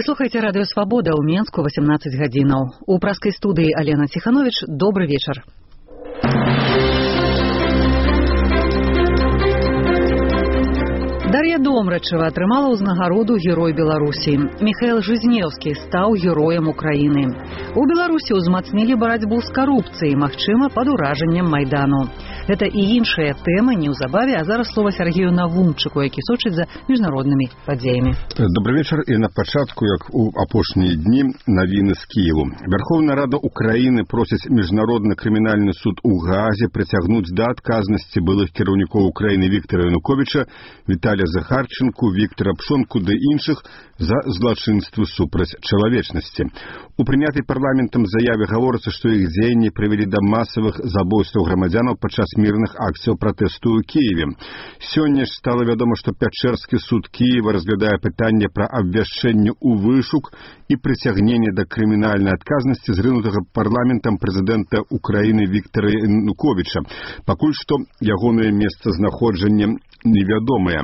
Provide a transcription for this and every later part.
Вы слухаеце радыё «Свабода» ў Менску 18 гадзінаў. У праскай студыі Алена Ціхановіч. Добры вечар. Дар'я Домрачева атрымала ўзнагароду Герой Беларусі. Міхаэл Жизнеўскі стаў героем Украіны. У Беларусі ўзмацнілі барацьбу з карупцыяй, магчыма, пад уражаннем Майдану. Гэта і іншыя тэмы неўзабаве, а зараз слова Сергею Навумчыку, які сочыць за міжнароднымі падзеямі. Добрый вечар, і на пачатку, як у апошнія дні, навіны з Кіеву. Верховная Рада Украіны просіць міжнародны крымінальны суд у Гаазе прыцягнуць да адказнасці былых кіраўнікоў Украіны Віктара Януковіча, Віталія Захарченку, Віктора Пшонку ды іншых за злачынствы супраць чалавечнасці. У прынятай парламентам заяве гаворыцца, што іх дзеянні прывялі да масавых забойстваў грамадзянаў падчас мірных акцыяў пратэсту ў Кіеве. Сёння ж стала вядома, што Пячэрскі суд Кіева разглядае пытанне пра абвяшчэнне ў вышук і прыцягненне да крымінальнай адказнасці зрынутага парламентам прэзідэнта Украіны Віктара Януковіча. Пакуль што ягонае месцазнаходжанне невядомыя.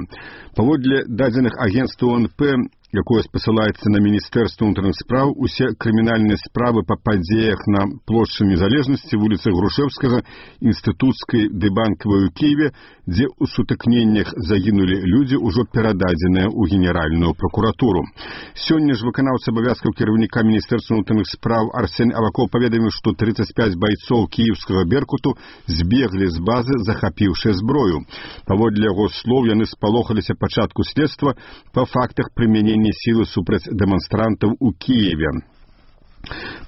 Паводле дадзеных агенцтва ОНП, якое спасылаецца на Міністэрства ўнутраных спраў, усе крымінальныя справы па падзеях на плошчы Незалежнасці, вуліцы Грушэўскага, Інстытуцкай ды Банкавай у Кіеве, дзе ў сутыкненнях загінулі людзі, ужо перададзеныя ў Генеральную пракуратуру. Сёння ж выканаўца абавязкаў кіраўніка Міністэрства ўнутраных спраў Арсен Аваков паведаміў, што 35 байцоў кіеўскага Беркуту збеглі з базы, захапіўшы зброю. Паводле яго слоў, яны спалохаліся пачатку следства па фактах прымянення сілы супраць дэманстрантаў у Кіеве.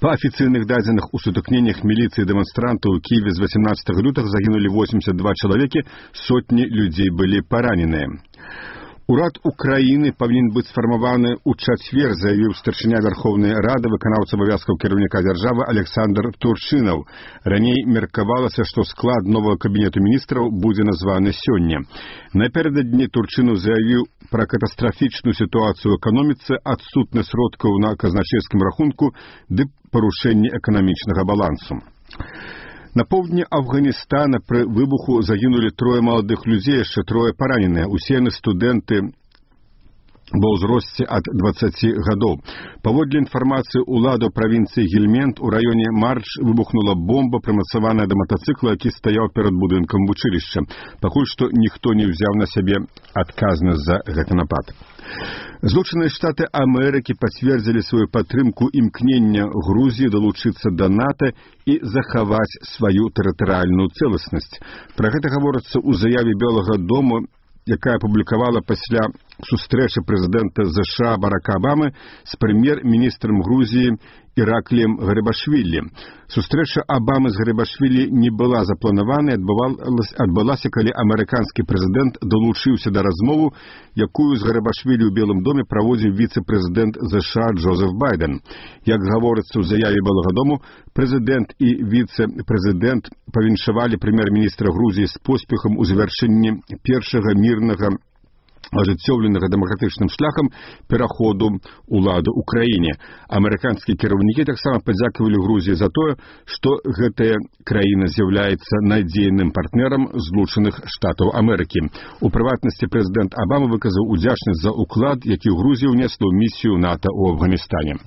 Па афіцыйных дадзеных у сутыкненнях міліцыі дэманстрантаў у Кіеве з 18 лютага загінулі 82 чалавекі, сотні людзей былі параненыя. Урад Украіны павінен быць сфармаваны ў чацвер, заявіў старшыня Верховнай Рады, выканаўца абавязкаў кіраўніка дзяржавы Александр Турчынаў. Раней меркавалася, што склад новага кабінету міністраў будзе названы сёння. Напярэдадні Турчынаў заявіў пра катастрафічную сітуацыю ў эканоміцы, адсутнасць сродкаў на казначэйскім рахунку ды парушэнне эканамічнага балансу. На поўдні Афганістана пры выбуху загінулі 3 маладых людзей, яшчэ 3 параненыя. Усе яны студэнты ва ўзросце ад 20 гадоў. Паводле інфармацыі ўладаў правінцыі Гельмент у раёне Марч выбухнула бомба, прымацаваная да матацыкла, які стаяў перад будынкам вучылішча. Пакуль што ніхто не ўзяў на сябе адказнасць за гэты напад. Злучаныя Штаты Амерыкі пацвердзілі сваю падтрымку імкнення Грузіі далучыцца да НАТО і захаваць сваю тэрытарыяльную цэласнасць. Пра гэта гаворыцца ў заяве Белага дому, якая апублікавала пасля сустрэчы прэзідэнта ЗША Барака Абамы з прэм'ер-міністрам Грузіі Іракліем Гарибашвілі. Сустрэча Абамы з Гарибашвілі не была запланаванай, адбылася, калі амерыканскі прэзідэнт далучыўся да размову, якую з Гарибашвілі ў Белым доме праводзіў віцэ-прэзідэнт ЗША Джозеф Байден. Як гаворыцца ў заяве Белага дому, прэзідэнт і віцэ-прэзідэнт павіншавалі прэм'ер-міністра Грузіі з поспехам у завяршэнні першага мірнага ажыццёўленага дэмакратычным шляхам пераходу ўлады ў краіне. Амерыканскія кіраўнікі таксама падзякавалі Грузіі за тое, што гэтая краіна з'яўляецца надзейным партнерам Злучаных Штатаў Амерыкі. У прыватнасці прэзідэнт Абама выказаў удзячнасць за ўклад, які Грузія ўнесла ў місію НАТО ў Афганістане.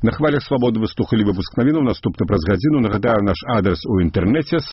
На хвалях свабоды вы слухалі выпуск навінаў. Наступны праз гадзіну. Нагадаю, наш адрес у інтэрнэце